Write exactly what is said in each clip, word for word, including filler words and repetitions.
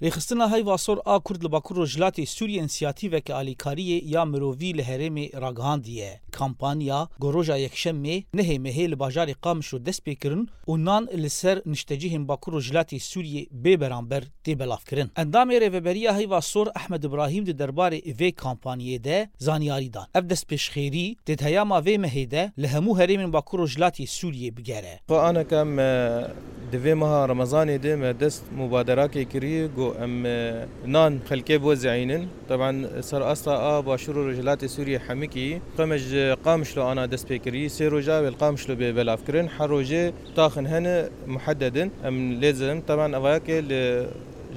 Rêxistina Heyva Sor a Kurd li Bakur Rojhilatê Sûriyê însiyatîveke alîkariyê ya mirovî li herêmê ragihandiye. Kampanya ku roja Yekşemê nehê mehê li bajarê Qamişlo dest pê kirin û nan li ser niştecihên Bakur Rojhilatê Sûriyê bê beramber tê belavkirin. Endamê Rêveberiya Heyva Sor Ehmed Ibrahîm di derbarê vê kampanyê de zanyarî dan. Ev destpêşxêrî tê di heyama vê mehê de li hemû herêmên Bakur Rojhilatê Sûriyê bigere. Xwe aneke me di vê meha Remezanê de me dest mubaderakê kirî, ku em, e, nan xelkê bo zeyînin. Teban ser asta a Başûr û Rojhilatê Sûriyê hemikî, xwe me ji Qamişlo ana dest pê kirî. Sê roja wê li Qamişlo bê belavkirin. Her rojê taxin hene muheddedin. Em lê zirin. Teban evayakê li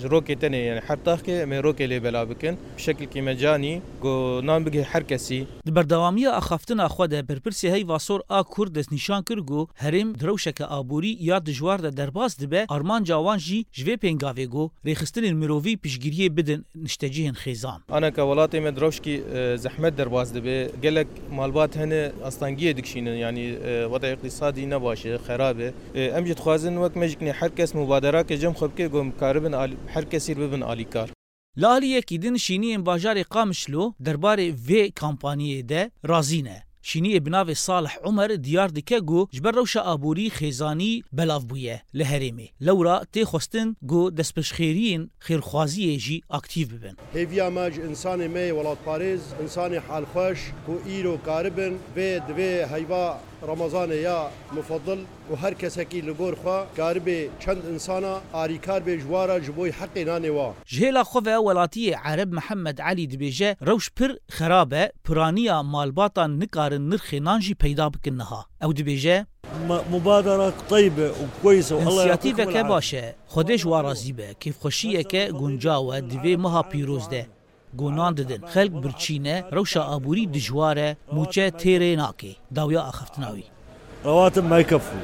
ji rokê tenê, yani her taxkê em ê rokê lê belav bikin. Bi şekilkî mecanî, ku nan bigihê her kesî. Di berdewamiya axaftina xwe de berpirsê Heyva Sor a Kurd destnîşan kir ku herêm di rewşeke aborî ya dijwar de derbas dibe, armanca wan jî ji vê pêngavê ku rêxistinên mirovî piştgiriyê bidin niştecihên xêzan. Aneke welatê me di rewşkî, e, zehmet derbas dibe, gelek malbat hene astengiyê dikişînin, yanî, e, weda îqtîsadî ne baş e, xerab e. E, em jî dixwazin wek me jî kinê her kes mubaderakê cem xwe bike, ku em karibin alî-, her kesî bibin alîkar. Li aliyekî din şîniyên bajarê Qamişlo derbarê vê kampanyê de razî ne. Şîniyê bi navê Salih Umer diyar dike ku ji ber rewşa aborî xêzanî belav bûye li herêmê. Lewra tê xwestin ku destpêşxêriyên xêrxwaziyê jî aktîf bibin. Hêviya me ji însanê me yê welatparêz, însanê halxweş ku îro karibin vê di vê heyva Remezanê ya mufedil û her kesekî li gor xwe karibê çend însana arîkar bê ji wa re ji bo heqê nanê wa. Ji hêla xwe ve welatiyê Ereb Mihemed Elî dibêje, rewş pir xerab e, piraniya malbatan nikarin nirxê nan jî peyda bikin niha. Ew dibêje, Mubadara teybe û kweyse û Allah ya'tîkum el-afî. Însiyatîveke baş e, Xwedê ji wa razî be, kêfxweşiyeke guncaw e di vê meha pîroz de. Ku nan didin. Xelk birçî ne, rewşa aborî dijwar e, mûçe têrê nake. Dawiya axaftina wî. Rewatim mekefû.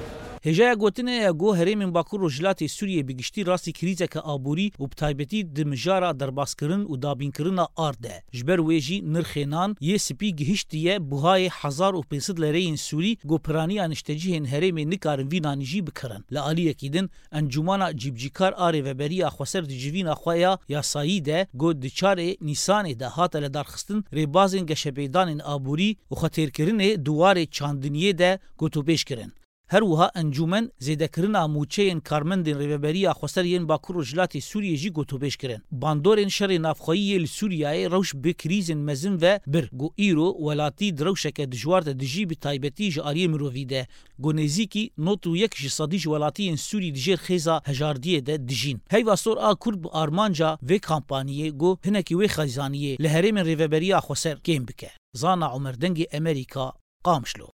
Hêjaya gotinê ye ku herêmên Bakur Rojhilatê Sûriyê bi giştî rastî krîzeke aborî û bi taybetî di mijara derbaskirin û dabînkirina ard de. Ji ber wê jî nirxê nan yê spî gihiştiye buhayê hezar û pênc sed lereyên Sûrî ku piraniya niştecihên herêmê nikarin vî nanî jî bikirin. Li aliyekî din, Encûmana Cîbicîkar a Rêveberiya Xweser di civîna xwe ya yasayî de ku di çarê Nîsanê de hate lidarxistin, rêbazên geşepêdanên aborî û xwetêrkirinê di warê çandiniyê de gotûbêj kirin. Her wiha encûmen zêdekirina mûçeyên karmendên Rêveberiya Xweser yên Bakur Rojhilatê Sûriyê jî gotûbêj kirin. Bandorên şerê navxweyî yê li Sûriyeyê rewş bi krîzên mezin ve bir ku îro welatî di rewşeke dijwar de dijî, bi taybetî ji aliyê mirovî de. Ku nêzîkî nod û yek ji sedî ji welatiyên Sûrî di jêr xêza hejardiyê de dijîn. Heyva Sor a Kurd bi armanca vê kampaniyê ku hinekî wê xêzaniyê li herêmên Rêveberiya Xweser kêm bike. Zana Omer, Dengê Emerîka, Qamişlo.